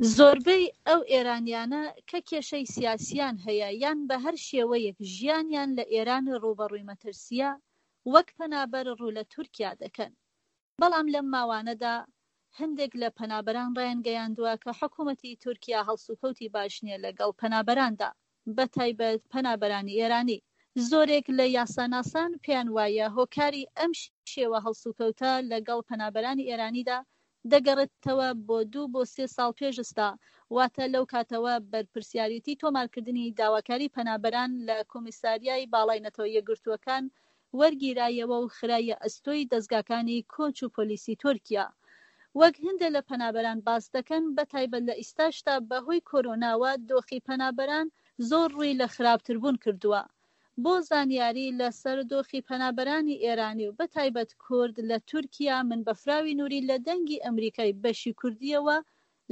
زۆربەی ئەو ئێرانیانە کە کێشەی سیاسیان هەیە یان بە هەر شێوەیەک ژیانیان لە ئێران ڕووبەڕووی مەترسییە، وەک پەنابەر ڕوو لە تورکیا دەکەن. بەڵام لەم ماوانەدا هەندێک لە پەنابەران ڕایانگەیاندووە کە حکوومەتی تورکیا هەڵسوکەوتی باش نییە لەگەڵ پەنابەراندا، بەتایبەت پەنابەرانی ئێرانی. زۆرێک لە یاساناسان پێیان وایە هۆکاری ئەم شێوە هەڵسوکەوتە لەگەڵ پەنابەرانی ئێرانیدا دەگەڕێتەوە بۆ دوو بۆ سێ ساڵ پێش ئستا، واتە لەو کاتەوە بەرپرسیارێتی تۆمارکردنی داواکاری پەنابەران لە کۆمیساریای باڵای نەتەوە یەکگرتووەکان وەرگیرایەوە و خرایە ئەستۆی دەزگاکانی کۆچ و پۆلیسی تورکیا. وەک هەندێ لە پەنابەران باس دەکەن، بەتایبەت لە ئیستاشدا بەهۆی کۆرۆناوە دۆخی پەنابەران زۆر ڕووی لە خراپتربوون کردووە. بۆ زانیاری لە سەر دۆخی پەنابەرانی ئێرانی و بەتایبەت کورد لە تورکیا من بەفراوی نوری لە دەنگی ئەمریکای بەشی کوردییەوە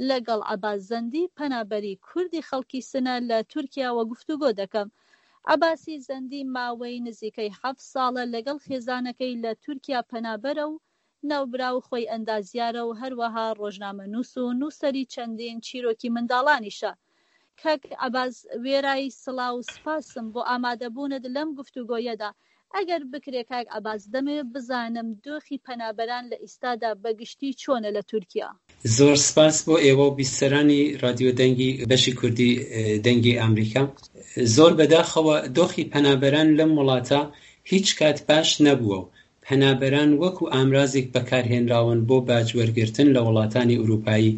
لەگەڵ عەباس زەندی پەنابەری کوردی خەڵکی سنە لە تورکیاوە گفتوگۆ دەکەم. عەباسی زەندی ماوەی نزیکەی حەفت ساڵە لەگەڵ خێزانەکەی لە تورکیا پەنابەرە و ناوبراو خۆی ئەندازیارە و هەروەها ڕۆژنامەنووس و نووسەری چەندین چیرۆکی منداڵانیشە. کاک عەباس وێرای سڵاو و سپاسم بۆ ئامادەبوونت لەم گفتوگۆیەدا، ئەگەر بکرێ کاک عەباس دەمەوێ بزانم دۆخی پەنابەران لە ئیستادا بە گشتی چۆنە لە تورکیا؟ زۆر سپاس بۆ ئێوە و بیسەرانی ڕادیۆ دەنگی بەشی کوردی دەنگی ئامریکا. زۆر بەداخەوە دۆخی پەنابەران لەم وڵاتە هیچ کات باش نەبووە و پەنابەران وەکو ئامرازێک بەکارهێنراون بۆ باج وەرگرتن لە وڵاتانی ئوروپایی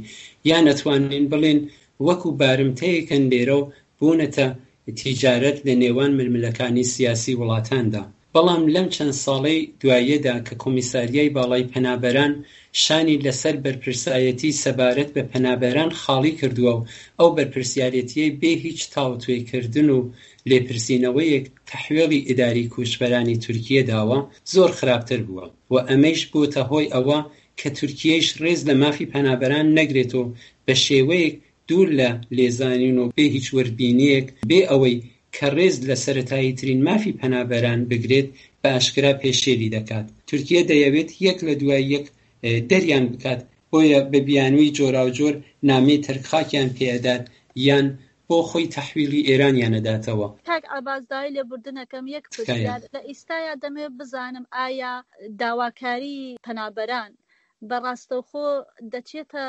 یان ئەتوانین بڵێین وەکو بارمتەیەکن لێرە و بوونەتە تیجارەت لە نێوان ململەکانی سیاسی وڵاتاندا. بەڵام لەم چەند ساڵەی دواییەدا کە کۆمیساریای باڵای پەنابەران شانی لەسەر بەرپرسایەتی سەبارەت بە پەنابەران خاڵی کردووە و ئەو بەرپرسیارێتیەی بێ هیچ تاوتوێکردن و لێپرسینەوەیەک تەحوێڵی ئیداری کوچبەرانی تورکیە داوە زۆر خراپتر بووە و ئەمەیش بۆتە هۆی ئەوە کە تورکیەیش ڕێز لە مافی پەنابەران نەگرێت و بە شێوەیەک دوور لە لێزانین و بێ هیچ وردبینییەک، بێ ئەوەی کە ڕێز لە سەرەتاییترین مافی پەنابەران بگرێت، بە ئاشکرا پێشێلی دەکات. تورکیە دەیەوێت یەک لە دوای یەک دەریان بکات، بۆیە بە بیانووی جۆراوجۆر نامەی تەرکخاکیان پێ ئەدات یان بۆ خۆی تەحویڵی ئێرانیان ئەداتەوە. کاک عەباس داوای لێبوردن ئەکەم یەک تکایە. پرسیار لە ئیستایا دەمەوێت بزانم ئایا داواکاری پەنابەران بە ڕاستەوخۆ دەچێتە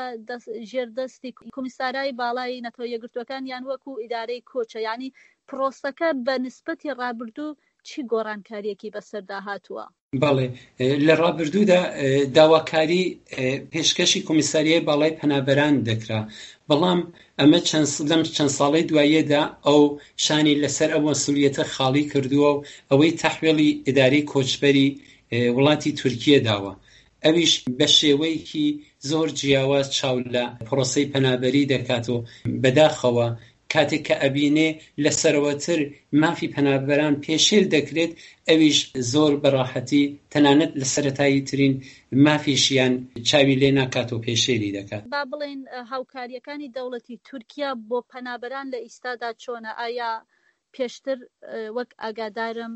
ژێر دەستی کۆمیسارای باڵای نەتەوە یەکگرتووەکان یان وەکو ئیدارەی کۆچە یانی پرۆسەکە بە نسبەتی ڕابردوو چی گۆڕانکاریەکی بەسەردا هاتووە؟ بەڵێ لە ڕابردوودا داواکاری پێشکەشی کۆمیساریای باڵای پەنابەران دەکرا، بەڵام ئەمە چەند لەم چەند ساڵەی دواییەدا ئەو شانی لەسەر ئەو مەسولیەتە خاڵی کردووە و ئەوەی تەحوێڵی ئیدارەی کۆچبەری وڵاتی تورکیە داوە ئەویش بە شێوەیەکی زۆر جیاواز چاو لە پرۆسەی پەنابەری دەکات و بەداخەوە کاتێک کە ئەبینێ لە سەرەوەتر مافی پەنابەران پێشێل دەکرێت ئەویش زۆر بە ڕاحەتی تەنانەت لە سەرەتایی ترین مافیشیان چاوی لێ ناکات و پێشێلی دەکات. با بڵێین هاوکارییەکانی دەوڵەتی تورکیا بۆ پەنابەران لە ئیستادا چۆنە؟ ئایا پێشتر وەک ئاگادارم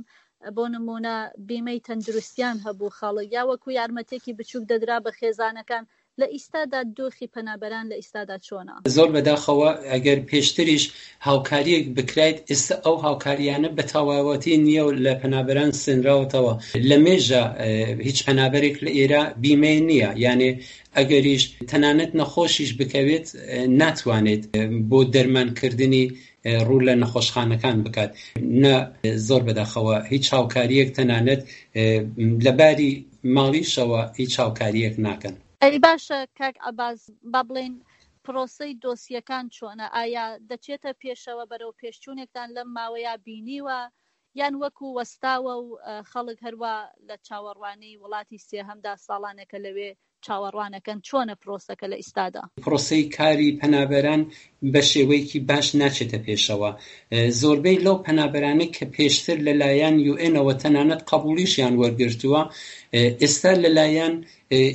بۆ نموونە بیمەی تەندروستیان هەبوو خەڵک یا وەکو یارمەتێکی بچووک دەدرا بە خێزانەکان لە ئیستادا دۆخی پەنابەران لە ئیستادا چۆنە؟ زۆر بەداخەوە ئەگەر پێشتریش هاوکاریەک بکرایت ئێستا ئەو هاوکاریانە بە تەواوەتی نییە و لە پەنابەران سێنراوەتەوە لە مێژە هیچ پەنابەرێک لە ئێرە بیمەی نییە یانێ ئەگەریش تەنانەت نەخۆشیش بکەوێت ناتوانێت بۆ دەرمانکردنی ڕوو لە نەخۆشخانەکان بکات نە زۆر بەداخەوە هیچ هاوکاریەک تەنانەت لە باری ماڵیشەوە هیچ هاوکاریەک ناکەن. ئەی باشە کاک عەباس با بڵێین پرۆسەی دۆسیەکان چۆنە ئایا دەچێتە پێشەوە بەرەو پێشچوونێکتان لەم ماوەیە بینیوە یان وەکو وەستاوە و خەڵک هەروا لە چاوەڕوانی وڵاتی سێهەمدا ساڵانێکە لەوێ چاوەڕوانەکەن چۆنە پرۆسەکە لە ئیستادا؟ پرۆسەی کاری پەنابەران بە شێوەیەکی باش ناچێتە پێشەوە. زۆربەی لەو پەنابەرانەی کە پێشتر لە لایەن یوئێنەوە تەنانەت قەبووڵیشیان وەرگرتووە، ئێستا لە لایەن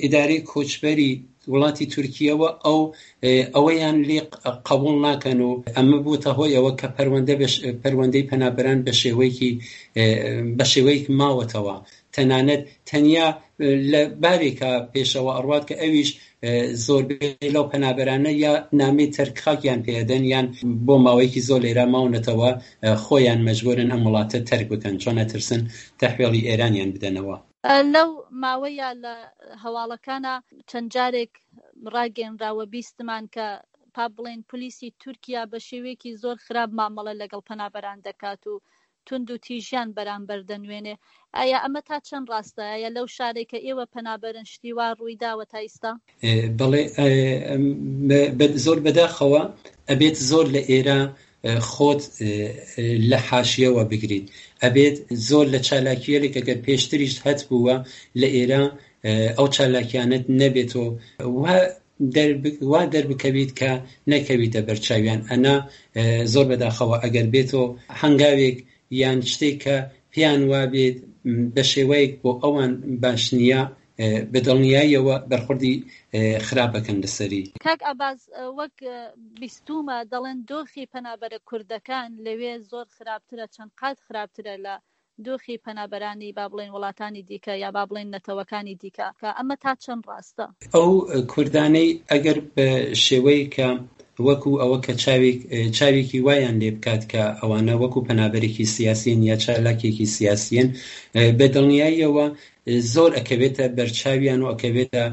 ئیدارەی کۆچبەری وڵاتی تورکیەوە ئەو ئەوەیان لێ قەبووڵ ناکەن و ئەمە بووتە هۆی ئەوە کە پەروەندە پەروەندەی پەنابەران بە شێوەیەکی بە شێوەیەک ماوەتەوە. تەنانەت تەنیا لە بارێکا پێشەوە ئەڕوات کە ئەویش زۆربەی لەو پەنابەرانە یا نامەی تەرک خاکیان پێ ئەدەن یان بۆ ماوەیەکی زۆر لێرە ماونەتەوە خۆیان مەجبورن ئەم وڵاتە تەرک بکەن چۆن ئەترسن تەحوێڵی ئێرانیان بدەنەوە. لەو ماوەیە لە هەواڵەکانا چەند جارێک ڕاگەیەنراوە بیستمان کە با بڵێین پلیسی تورکیا بە شێوەیەکی زۆر خراپ مامەڵە لەگەڵ پەنابەران دەکات و توند و تیژیان بەرامبەر دەنوێنێ ئایا ئەمە تا چەند ڕاستە؟ ئایا لەو شارەی کە ئێوە پەنابەرن شتی وا ڕووی داوە تا ئیستا؟ بەڵێ زۆر بەداخەوە ئەبێت زۆر لە ئێرە خۆت لە حاشیەوە بگریت ئەبێت زۆر لە چالاکیەلێک ئەگەر پێشتریشت هەتبووە لە ئێرە ئەو چالاکیانەت نەبێت و وا دەربکەویت کە نەکەویتە بەرچاویان ئەنا زۆر بەداخەوە ئەگەر بێتۆ هەنگاوێک یان شتێک کە پێیان وابێت بە شێوەیەک بۆ ئەوان باش نییە بە دڵنیاییەوە بەرخوردی خراپ ئەکەن لەسەری. کاک عەباس وەک بیستوومە دەڵێن دۆخی پەنابەرە کوردەکان لەوێ زۆر خراپترە چەند قات خراپترە لە دۆخی پەنابەرانی با بڵێین وڵاتانی دیکە یا با بڵێین نەتەوەکانی دیکە کە ئەمە تا چەند ڕاستە؟ ئەو کوردانەی ئەگەر بە شێوەیەک کە وەکو ئەوە کە چاوێک چاوێکی وایان لێ بکات کە ئەوانە وەکو پەنابەرێکی سیاسین یا چالاکێکی سیاسیین بە دڵنیاییەوە زۆر ئەکەوێتە بەرچاویان و ئەکەوێتە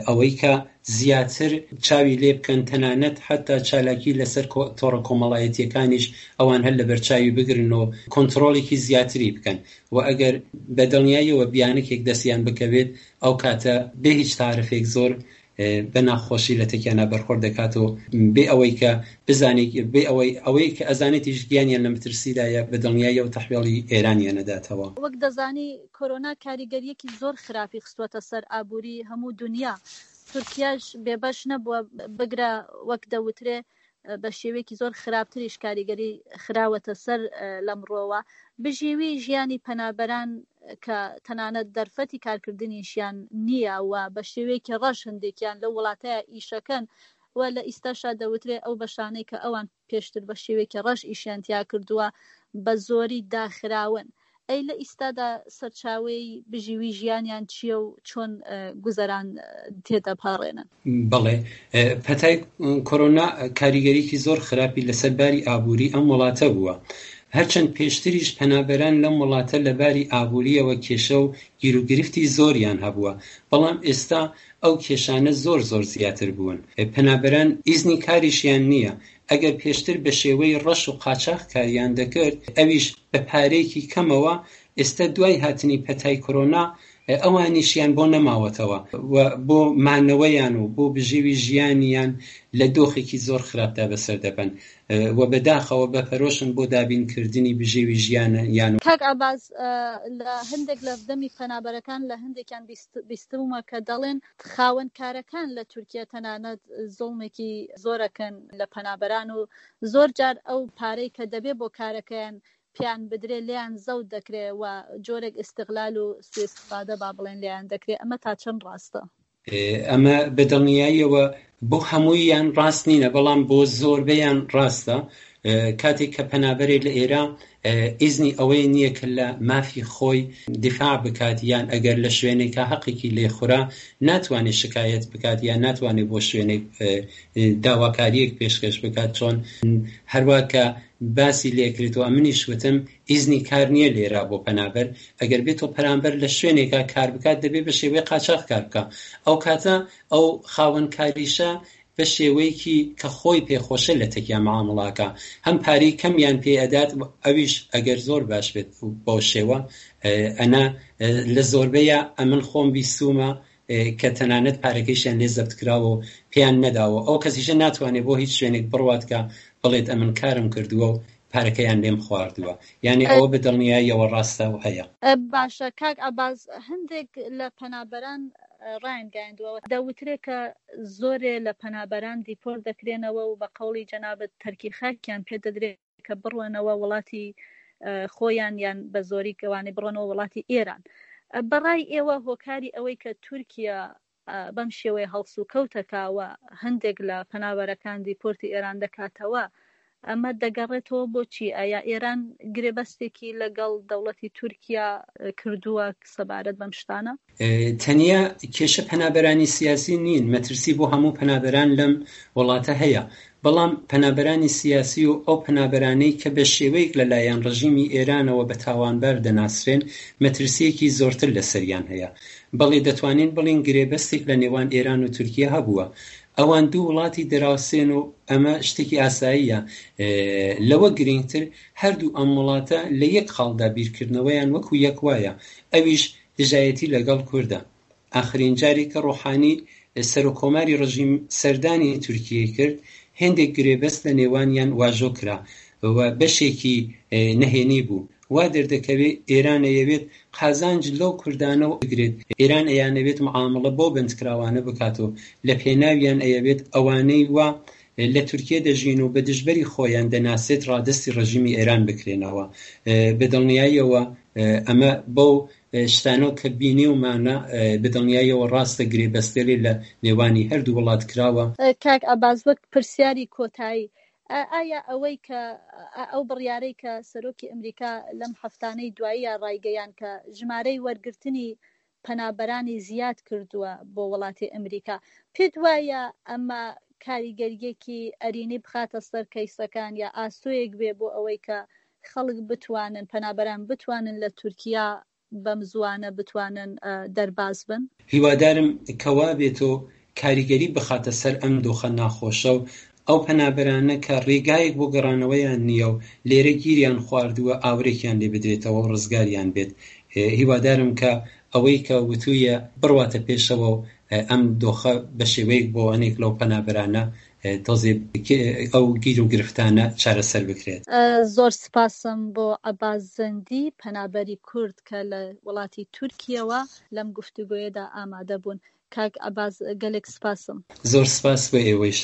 ئەوەی کە زیاتر چاوی لێ بکەن تەنانەت حەتا چالاکی لەسەر تۆڕە کۆمەڵایەتیەکانیش ئەوان هەر لەبەرچاوی بگرن و کۆنتڕۆڵێکی زیاتری بکەن و ئەگەر بە دڵنیاییەوە بیانکێک دەستیان بکەوێت ئەو کاتە بێ هیچ تارفێک زۆر بە ناخۆشی لە تەکیانا بەرخۆرد دەکات و بێ ئەوەی کە بزانێت بێ ئەوەی ئەوەی کە ئەزانێتیش گیانیان لە مەترسیدایە بە دڵنیاییەوە تەحوێڵی ئێرانیان ئەداتەوە. وەک دەزانی کۆرۆنا کاریگەرییەکی زۆر خراپی خستووەتە سەر ئابووری هەموو دونیا، تورکیاش بێبەش نەبووە، بگرە وەک دەوترێ بە شێوەیەکی زۆر خراپتریش کاریگەری خراوەتە سەر لەم ڕووەوە. بژێوی ژیانی پەنابەران کە تەنانەت دەرفەتی کارکردنیشیان نییە و بە شێوەیەکی ڕەش هەندێکیان لەو وڵاتەیە ئیشەکەن و لە ئیستاشا دەوترێ ئەو بەشانەی کە ئەوان پێشتر بە شێوەیەکی ڕەش ئیشیان تیا کردووە بە زۆری داخراون. ئەی لە ئیستادا سەرچاوەی بژیوی ژیانیان چییە و چۆن گوزەران تێدەپەڕێنن؟ بەڵێ، پەتای کۆرۆنا کاریگەریی زۆر خراپی لەسەر باری ئابووری ئەم وڵاتە بووە. هەرچەند پێشتریش پەنابەران لەم وڵاتە لە باری ئابوورییەوە کێشە و گیروگرفتی زۆریان هەبووە، بەڵام ئێستا ئەو کێشانە زۆر زۆر زیاتر بوون. پەنابەران ئیزنی کاریشیان نییە، ئەگەر پێشتر بە شێوەی ڕەش و قاچاخ کاریان دەکرد، ئەویش بە پارەیەکی کەمەوە، ئێستا دوای هاتنی پەتای کۆرۆنا ئەوانیشیان بۆ نەماوەتەوە و بۆ مانەوەیان و بۆ بژێوی ژیانیان لە دۆخێکی زۆر خراپدا بەسەر دەبەن و بەداخەوە بەپەرۆشن بۆ دابینکردنی بژێوی ژیانیان. کاک عەباس، لە هەندێک لە دەمی پەنابەرەکان لە هەندێکیان بیستوومە کە دەڵێن خاوەن کارەکان لە تورکیە تەنانەت زوڵمێکی زۆرەکەن لە پەنابەران و زۆر جار ئەو پارەی کە دەبێ بۆ کارەکەیان پێیان بدرێ لێیان زەوت دەکرێ و جۆرێک ئیستغلال و سوئیستفادە با بڵێن لێیان دەکرێ ئەمە تا چەند ڕاستە؟ ئەمە بە دڵنیاییەوە بۆ هەموویان ڕاست نینە بەڵام بۆ زۆربەیان ڕاستە کاتێک کە پەنابەرێک لە ئێرە ئیزنی ئەوەی نییە کە لە مافی خۆی دیفاع بکات یان ئەگەر لە شوێنێکا هەقێکی لێ خورا ناتوانێت شکایەت بکات یان ناتوانێت بۆ شوێنێک داواکارییەک پێشکەش بکات چۆن هەروا کە باسی لێکرێت و ئەمنیش وتم ئیزنی کار نییە لێرە بۆ پەنابەر ئەگەر بێتۆ پەرامبەر لە شوێنێکا کار بکات دەبێت بە شێوەی قاچاخ کار بکا ئەو کاتە ئەو خاوەن کاریشە بە شێوەیەکی کە خۆی پێ خۆشە لە تەکیا معامڵە ئەکا هەم پارەی کەمیان پێ ئەدات ئەویش ئەگەر زۆر باش بێت بەو شێوە ئەنا لە زۆربەیا ئەمن خۆم بیستومە کە تەنانەت پارەکەیشیان لێ زەبت کراوە و پێیان نەداوە ئەو کەسیشە ناتوانێت بۆ هیچ شوێنێک بڕوات کە بڵێت ئەمن کارم کردووە و پارەکەیان لێم خواردووە یانی ئەوە بە دڵنیاییەوە ڕاستە و هەیە. باشە کاک عەباس هەندێک لە پەنابەران ڕایانگەیاندووە دەوترێ کە زۆرێ لە پەنابەران دیپۆرت دەکرێنەوە و بە قەوڵی جەنابت تەرکی خاکیان پێ دەدرێ کە بڕۆنەوە وڵاتی خۆیان یان بە زۆری ئەوانەی بڕۆنەوە وڵاتی ئێران بەڕای ئێوە هۆکاری ئەوەی کە تورکیا بەم شێوەیە هەڵسوکەوتەکا و هەندێک لە پەنابەرەکان دیپۆرتی ئێران دەکاتەوە. ئەمە دەگەڕێتەوە بۆ چی؟ ئایا ئێران گرێبەستێکی لەگەڵ دەوڵەتی تورکیا کردووە سەبارەت بەم شتانە؟ تەنیا کێشە پەنابەرانی سیاسی نین، مەترسی بۆ هەموو پەنابەران لەم وڵاتە هەیە، بەڵام پەنابەرانی سیاسی و ئەو پەنابەرانەی کە بە شێوەیەک لە لایەن ڕژیمی ئێرانەوە بە تاوانبار دەناسرێن، مەترسییەکی زۆرتر لەسەریان هەیە. بەڵێ دەتوانین بڵێین گرێبەستێک لە نێوان ئێران و تورکیە هەبووە. ئەوان دوو وڵاتی دراوسێن و ئەمە شتێکی ئاساییە. لەوە گرینگتر هەردوو ئەم وڵاتە لە یەک خاڵدا بیرکردنەوەیان وەکوو یەک وایە، ئەویش دژایەتی لەگەڵ کوردە. ئاخرین جارێک کە ڕۆحانی سەرۆک کۆماری ڕژیم سەردانی تورکیەی کرد، هێندێک گرێبەست لە نێوانیان واژۆ کرا و بەشێکی نەهێنی بوو. وا دەردەکەوێ ئێران ئەیەوێت قازانج لەو کوردانە بگرێت، ئێران ئەیانەوێت معامڵە بەو بەندکراوانە بکات و لە پێناویان ئەیەوێت ئەوانەی وا لە تورکیە دەژین و بە دژبەری خۆیان دەناسێت ڕادەستی ڕژیمی ئێران بکرێنەوە. بە دڵنیاییەوە ئەمە بەو شتانەوە کە بینیومانە بە دڵنیاییەوە ڕاستە گرێبەستێلێ لە نێوانی هەردوو وڵات کراوە. کاک عەباس وەک پرسیاری کۆتایی ئایا ئەوەی کە ئەو بڕیارەی کە سەرۆکی ئەمریکا لەم هەفتانەی دواییە ڕایگەیاند کە ژمارەی وەرگرتنی پەنابەرانی زیاد کردووە بۆ وڵاتی ئەمریکا پێت وایە ئەمە کاریگەریەکی ئەرینی بخاتە سەر کەیسەکان یا ئاسۆیەک بێ بۆ ئەوەی کە خەڵک بتوانن پەنابەران بتوانن لە تورکیا بەم زووانە بتوانن دەرباز بن؟ هیوادارم کە وابێت و کاریگەری بخاتە سەر ئەم دۆخە ناخۆشە و ئەو پەنابەرانە کە ڕێگایەک بۆ گەڕانەوەیان نییە و لێرە گیریان خواردووە ئاورێکیان لێ بدرێتەوە و ڕزگاریان بێت. هیوادارم کە ئەوەی کە وتوویە بڕواتە پێشەوە و ئەم دۆخە بە شێوەیەک بۆ هەنێک لەو پەنابەرانە تۆزێ ئەو گیر و گرفتانە چارەسەر بکرێت. زۆر سپاسم بۆ عەباس زەندی پەنابەری کورد کە لە وڵاتی تورکیەوە لەم گفتوگۆیەدا ئامادە بوون. کاک عەباس گەلێک سپاسم. زۆر سپاس بۆ ئێوەیش.